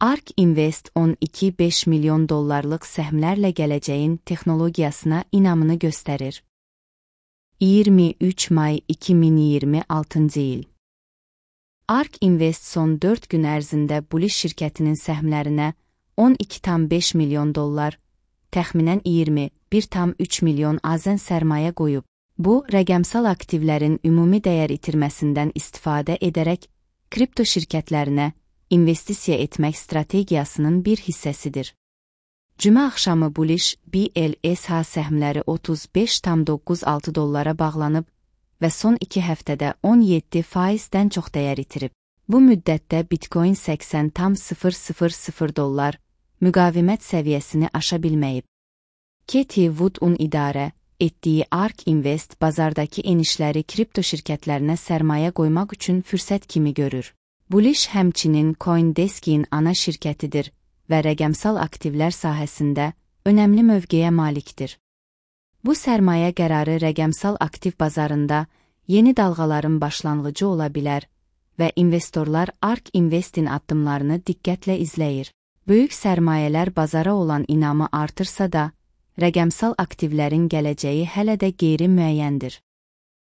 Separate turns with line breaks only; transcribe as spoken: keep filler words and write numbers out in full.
ARK Invest on iki nöqtə beş milyon dollarlıq səhmlərlə gələcəyin texnologiyasına inamını göstərir. iyirmi üç may iki min iyirmi altıncı il. ARK Invest son dörd gün ərzində Bullish şirkətinin səhmlərinə on iki nöqtə beş milyon dollar, təxminən iyirmi bir nöqtə üç milyon azən sərmayə qoyub. Bu, rəqəmsal aktivlərin ümumi dəyər itirməsindən istifadə edərək kripto şirkətlərinə investisiya etmək strategiyasının bir hissəsidir. Cümə axşamı Bullish B L S H səhmləri otuz beş nöqtə doqquz altı dollara bağlanıb və son iki həftədə on yeddi faizdən çox dəyər itirib. Bu müddətdə Bitcoin səksən nöqtə sıfır sıfır sıfır dollar müqavimət səviyyəsini aşa bilməyib. Katie Wood'un idarə etdiyi ARK Invest bazardakı enişləri kripto şirkətlərinə sərmayə qoymaq üçün fürsət kimi görür. Bullish həmçinin CoinDesk'in ana şirkətidir və rəqəmsal aktivlər sahəsində önəmli mövqeyə malikdir. Bu sərmayə qərarı rəqəmsal aktiv bazarında yeni dalğaların başlanğıcı ola bilər və investorlar ARK Invest'in addımlarını diqqətlə izləyir. Böyük sərmayələr bazara olan inamı artırsa da, rəqəmsal aktivlərin gələcəyi hələ də qeyri-müəyyəndir.